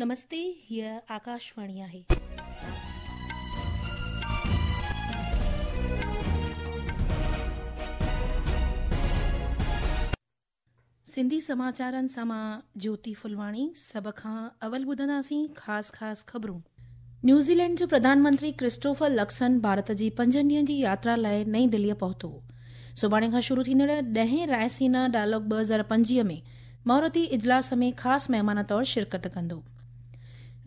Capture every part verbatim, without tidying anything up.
نمستي، هيء آڪاشواڻي آهي. سنڌي سماچارن سان مان جيوتي ڦلواڻي. سڀ کان اول ٻڌنداسين خاص خاص خبرون. نيوزيلينڊ جو پرڌان منتري ڪرسٽوفر لڪسن ڀارت جي پنجن ڏينهن جي ياترا لاءِ نئين دليءَ پهتو. سڀاڻي کان شروع ٿيندڙ ڏهين رائسينا ڊائلاگ ٻه هزار پنجويهه ۾ مهورتي اجلاس ۾ خاص مهمان طور شرڪت ڪندو.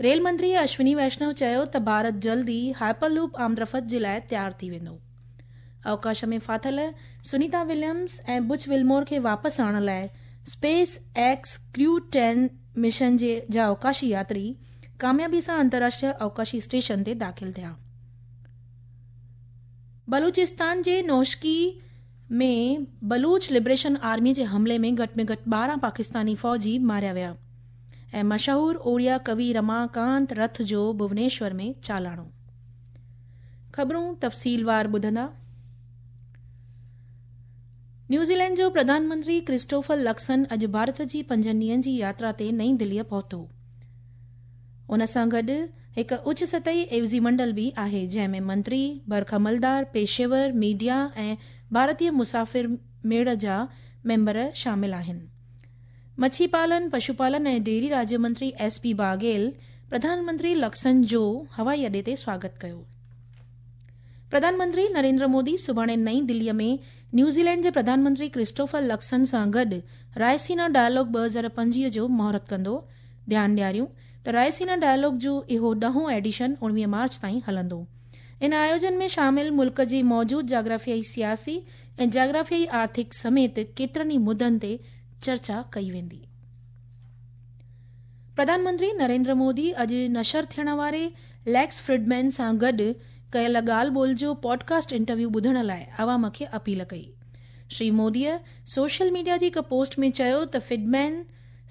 ريل منتري اشوني ويشنو چيو ته ڀارت جلد ئي هائپر لوپ آمدرفت جي لاءِ تيار ٿي ويندو. اوڪاش ۾ ڦاٿل سنيتا وليمز ۽ بچ ولمور کي واپس آڻڻ لاءِ اسپيس ايڪس ڪريو ٽين مشن جي جا اوڪاشي ياتري ڪاميابي سان انترراشٽريه اوڪاشي اسٽيشن تي داخل ٿيا. بلوچستان جي نوشڪي ۾ بلوچ لبريشن آرمي جي حملي ۾ گهٽ ۾ گهٽ ٻارهن پاڪستاني فوجي ماريا ويا ۽ مشهور اوڙيا ڪوي رماڪانت رٿ جو ڀونيشور ۾ چالاڻو. خبرون تفصيلوار ٻڌندا. نيوزيلينڊ جو پرڌان منتري ڪرسٽوفر لڪسن اڄ ڀارت جي پنجن ڏينهن جي ياترا تي نئين دليءَ پهتو. ان سان گڏ هڪ اچ سطحي عيوضي منڊل به آهي، جنهن ۾ منتري، برک عملدار، پيشيور، ميڊيا ۽ ڀارتيه مسافر ميڙ جا ميمبر شامل آهن. مڇي پالن، پشوپالن ۽ ڊيري راجيه منتري ايس پي باگيل پرڌان منتري لڪسن جو هوائي اڏي تي سواگت ڪيو. پرڌان منتري نريندر مودي سڀاڻي نئين دليءَ ۾ نيوزيلينڊ جي پرڌان منتري ڪرسٽوفر لڪسن سان گڏ رائسينا ڊائلاگ ٻه هزار پنجويهه جو مهورت ڪندو. ڌيان ڏياريون ته رائسينا ڊائلاگ جو اهو ڏهون ايڊيشن اڻويهه مارچ تائين هلندو. ان آيوجن ۾ شامل ملڪ جي موجود جاگرافيائي سياسي ۽ جاگرافيائي آرٿڪ سميت ڪيترن ئي مدن تي چرچا ڪئي ويندي. پرڌان منتري نريندر مودي اڄ نشر ٿيڻ واري ليڪس فرڊمين سان گڏ ڪيل ڳالهه ٻولهه جو پوڊڪاسٽ انٽرويو ٻڌڻ لاءِ عوام کي اپيل ڪئي. شري موديءَ سوشل ميڊيا جي هڪ پوسٽ ۾ چيو ته فرڊمين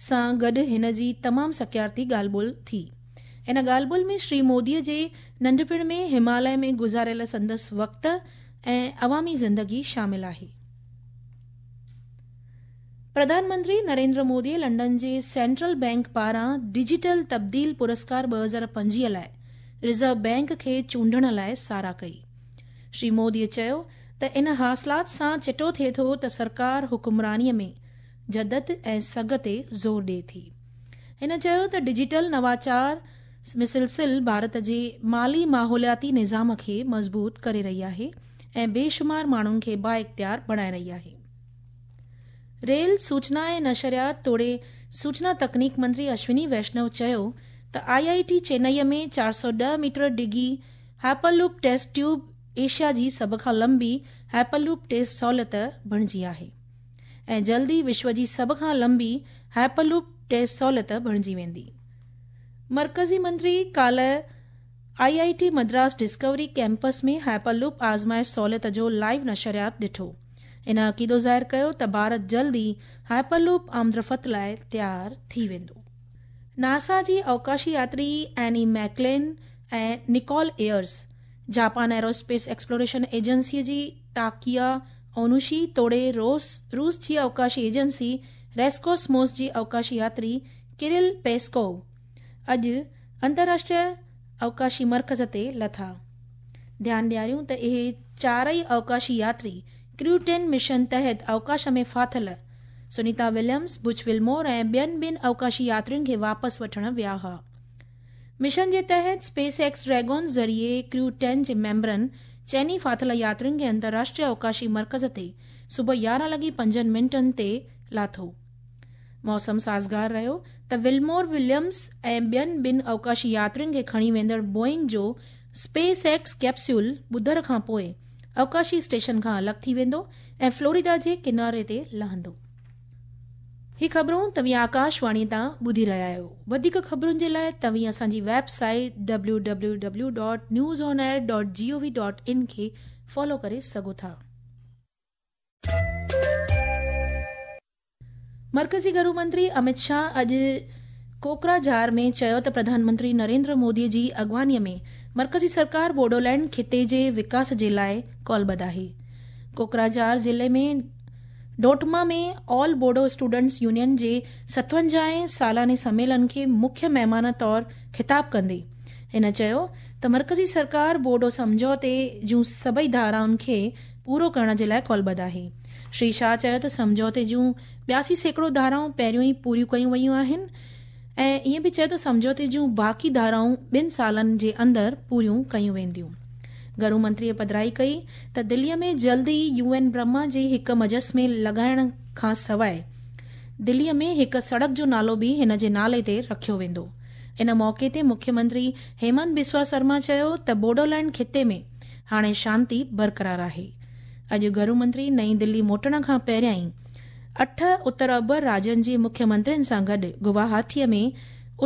سان گڏ هن جي تمام سڪارتي ڳالهه ٻولهه ٿي. ان ڳالهه ٻولهه ۾ شري موديءَ جي ننڍپڻ ۾ هماليه ۾ گذاريل سندس وقت ۽ عوامي زندگي شامل آهي. پرڌان منتري نريندر موديءَ لنڊن جي سينٽرل بينڪ پاران ڊجيٽل تبديل پرسڪار ٻه هزار پنجويهه لاءِ رزرو بينڪ کي چونڊڻ لاءِ ساراهه ڪئي. شري موديءَ چيو ته ان حاصلات سان چٽو ٿئي ٿو ته سرڪار حڪمرانيءَ ۾ جدت ۽ سگهه تي زور ڏئي ٿي. هن چيو ته ڊجيٽل نواچار مسلسل ڀارت جي مالي ماحولياتي نظام کي مضبوط ڪري رهي آهي ۽ بيشمار ماڻهن کي بااختيار بڻائي رهي آهي. ريل، سوچنا ۽ نشريات توڙي سوچنا تڪنيڪ منتري اشوني ويشنو چيو ته I I ٽي چنائيءَ ۾ چار سؤ ڏهه ميٽر ڊگهي هائپرلوپ ٽيسٽ ٽيوب ايشيا جي سڀ کان لمبي هائپرلوپ ٽيسٽ سهوليت بڻجي آهي ۽ جلد ئي وشو جي سڀ کان لمبي هائپرلوپ ٽيسٽ سهوليت بڻجي ويندي. مرڪزي منتري ڪالهه I I T Madras Discovery campus ۾ hyperloop آزمائش سهوليت جو لائيو نشريات ڏٺو. ان عقيدو ظاهر ڪيو ته ڀارت جلد ئي هائپرلوپ آمدرفت لاءِ تيار ٿي ويندو. ناسا جي اوڪاشي ياتري Anne McClain ۽ Nicole Ayers, Japan aerospace exploration ايجنسيءَ جي تاڪيا اونوشي توڙي روس روس جي اوڪاشي ايجنسي ريسڪوسموس جي اوڪاشي ياتري ڪرل پيسڪوو اڄ انترراشٽريه اوڪاشي مرڪز تي لٿا. ڌيان ڏياريون ته اهي چارئي اوڪاشي ياتري ڪريو ٽين مشن تحت اوڪاش ۾ ڦاٿل سنيتا وليمز، بچ ولمور ۽ ٻين ٻن اوڪاشي ياترين کي واپس وٺڻ ويا هئا. مشن جي تحت اسپيس ايڪس ڊريگون ذريعي ڪريو ٽين جي ميمبرن چئني ڦاٿل ياترين کي انترراشٽريه اوڪاشي مرڪز تي صبح يارهن لڳي پنجن منٽن تي لاٿو. موسم سازگار رهيو ته ولمور، وليمز ۽ ٻين ٻن اوڪاشي ياترين کي کڻي ويندڙ بوئنگ جو اسپيس ايڪس ڪيپسول ٻڌر کان پوءِ اوڪاشي اسٽيشن کان الڳ ٿي ويندو ۽ فلوريڊا جي ڪناري تي لهندو. هي خبرون توهين آڪاشواڻي تان ٻڌي رهيا آهيو. وڌيڪ خبرن جي لاءِ توهين اسان جي website W W W dot news on air dot G O V dot in کي فالو ڪري سگهو ٿا. مرڪزي گهرو منتري امت شاهه اڄ ڪوڪراجهار ۾ چيو ته پرڌان منتري نريندر مودي جي اڳواڻيءَ ۾ مرڪزي سرڪار بوڊولينڊ خطي جي وڪاس جي لاءِ ڪالبڌ آهي. ڪوڪراجهار ضلعي ۾ Dotma ۾ all Bodo students union جي ستونجاهين سالاني سميلن کي مکيه مهمان طور خطاب ڪندي هن چيو ته مرڪزي سرڪار بوڊو سمجهوتي جون سڀئي ڌارائن کي پورو ڪرڻ جي لاءِ ڪالبڌ آهي. شري شاهه چيو ته سمجهوتي جون ٻياسي سيڪڙو ڌارائون پهريون ئي پوريون ڪيون ويون آهن ۽ ائين به چيو ته سمجهوتي جون باقي ڌارائون ٻن سالن جي اندر پوريون ڪيون وينديون. گهرو منتريءَ پڌرائي ڪئي ته دليءَ ۾ جلد ئي يو اين برهما جي هڪ مجسمي لڳائڻ کان سواءِ دليءَ ۾ هڪ سڙڪ جو نالو به هن جي نالي تي رکيو ويندو. ان موقعي تي مکيه منتري هيمنت بسوا شرما چيو ته بوڊولينڊ خطي ۾ هاڻي شانتي برقرار آهي. اڄ گهرو منتري نئين دلي موٽڻ کان پهريان ئي اٺ اتر اوڀر راجين جي مکيه منترين سان گڏ گواهاٽيءَ ۾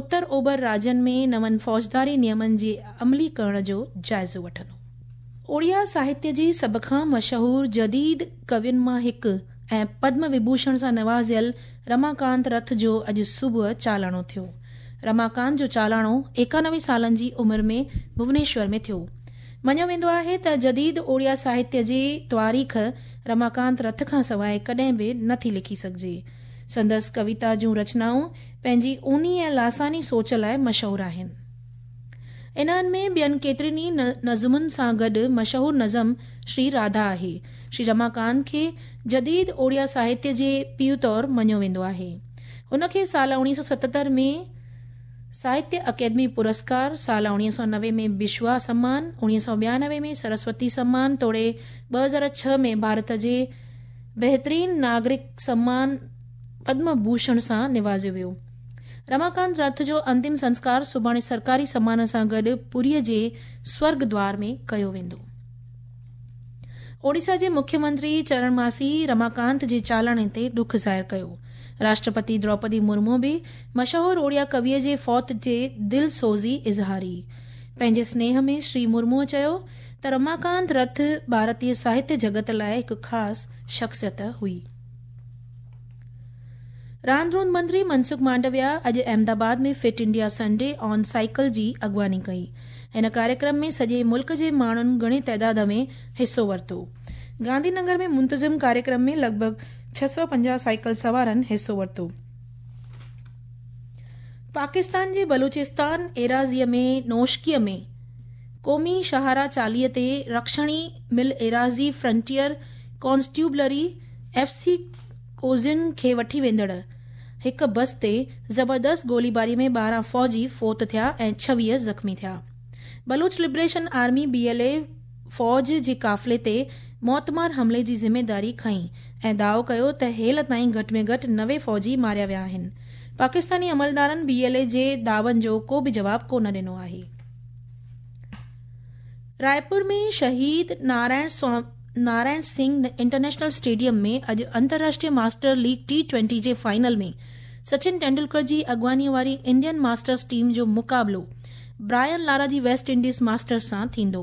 اتر اوڀر راجين ۾ نون فوجداري نيمن جي عملي ڪرڻ جو جائزو وٺندو. اوڙيا ساهتيه جي سڀ کان مشهور جديد ڪوين مان هڪ ۽ پدم وڀوشڻ سان نوازيل رماڪانت رٿ جو اڄ صبح چالاڻو ٿيو. رماڪانت جو چالاڻو ايڪانوي سالن جي عمر ۾ ڀونيشور ۾ ٿيو. مڃيو ويندو آهي ته جديد اوڙيا ساهتيه جي تواريخ رماڪانت رٿ کان سواءِ ڪڏهن به نٿي لکي سگهجي. سندس ڪويتا جون رچنائون پنهنجي اونهي ۽ لاثاني سوچ لاءِ مشهور آهن. انهن ۾ ٻين ڪيترين ئي نظمن سان گڏ مشهور نظم شري راڌا آهي. شري رماڪانت کي جديد اوڙيا ساهتيه جي پيءُ طور مڃيو ويندو آهي. هن کي سال اڻويهه سؤ ستهتر ۾ ساهتيه اڪيڊمي پرسڪار، سال اڻويهه سؤ نوي ۾ بشوا سمان، اڻويهه سؤ ٻيانوي ۾ سرسوتي سمان توڙي ٻه هزار ڇهه ۾ ڀارت جي بهترين ناگرڪ سمان پدم ڀوشڻ سان نوازيو ويو. رماڪانت رٿ جو انتم سنسڪار سڀاڻي سرڪاري سمان سان گڏ پوريءَ جي سورگ دوار ۾ ڪيو ويندو. اوڙيسا جي مکيه منتري چرڻ ماسي رماڪانت جي چالاڻي تي ڏک ظاهر ڪيو. راشٽرپتي دروپدي مرمو به مشهور اوڙيا ڪويءَ جي فوت جي دل سوزي اظهاري. پنهنجي سنيهه ۾ شري مرموءَ چيو ته رماڪانت رٿ ڀارتيه ساهتيه جڳت لاءِ هڪ خاص شخصيت هئي. راند روند منتري منسک مانڊويا اڄ Ahmedabad ۾ fit India Sunday on cycle جي اڳواڻي ڪئي. هن ڪاريڪرم ۾ سڄي ملڪ جي ماڻهن گهڻي تعداد ۾ حصو ورتو. گانڌي نگر ۾ منتظم ڪاريڪرم ۾ لڳ ڀڳ ڇهه سؤ پنجاهه سائيڪل سوارن حصو ورتو. پاڪستان جي بلوچستان ايراضيءَ ۾ نوشڪيءَ ۾ قومي شاهراهه چاليهه تي رڪشڻي مل ايراضي فرنٽيئر ڪانسٽيبلري ايف سي ڪوزين کي وٺي ويندڙ هڪ بس تي زبردست گوليباري ۾ ٻارهن فوجي فوت ٿيا ۽ ڇويهه زخمي ٿيا. Baloch liberation army B L A فوج جي قافلي تي موتمار حملي جي ذميداري کنئي ۽ دعوو ڪيو ته هيل تائين گهٽ ۾ گهٽ نوي فوجي ماريا ويا آهن. پاڪستاني عملدارن بي ايل اي جي دعون جو ڪو به جواب ڪونه ڏنو آهي. رائپور ۾ شهيد نارائڻ نارائڻ سنگهه انٽرنيشنل اسٽيڊيم ۾ اڄ انترراشٽريه ماسٽر ليگ ٽي ٽوئنٽي جي فائنل ۾ سچن ٽينڊولڪر جي اڳواڻيءَ واري انڊين ماسٽرز ٽيم جو مقابلو برائن لارا جي ويسٽ انڊيز ماسٽرز سان ٿيندو.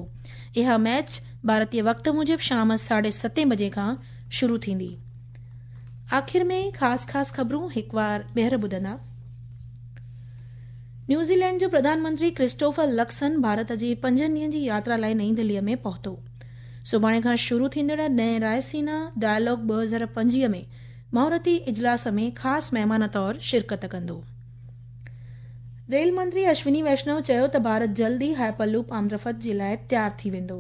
اها ميچ ڀارتيه وقت موجب شام ساڍي ستين بجي کان شروع ٿيندي. آخر ۾ خاص خاص خبرون هڪ بار ٻيهر ٻڌندا. نيوزيلينڊ جو پرڌان منتري ڪرسٽوفر لڪسن ڀارت جي پنجن ڏينهن جي ياترا لاءِ نئين دليءَ ۾ پهتو. سڀاڻي کان شروع ٿيندڙ نئين رائسينا ڊائلاگ ٻه هزار پنجويهه ۾ مهورتي اجلاس ۾ خاص مهمان طور شرڪت ڪندو. ريل منتري اشوني ويشنو چيو ته ڀارت جلد ئي هائپر لوپ آمدرفت جي لاءِ تيار ٿي ويندو.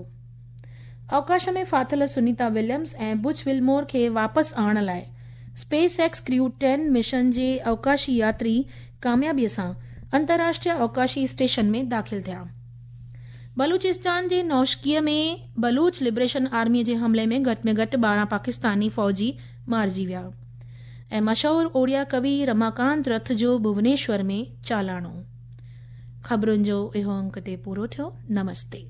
اوڪاش ۾ ڦاٿل سنيتا وليمز ۽ بچ ولمور کي واپس آڻڻ لاءِ اسپيس ايڪس ڪريو ٽين مشن جي اوڪاشي ياتري ڪاميابيءَ سان انترراشٽريه اوڪاشي اسٽيشن ۾ داخل ٿيا. بلوچستان جي نوشڪيءَ ۾ بلوچ لبريشن آرميءَ جي حملي ۾ گهٽ ۾ گهٽ ٻارهن پاڪستاني فوجي مارجي ويا. ۽ مشهور اوڙيا ڪوي رماڪانت رٿ جو ڀونيشور ۾ چالاڻو. خبرن جو اهو انڪ تي پورو ٿيو. نمستي.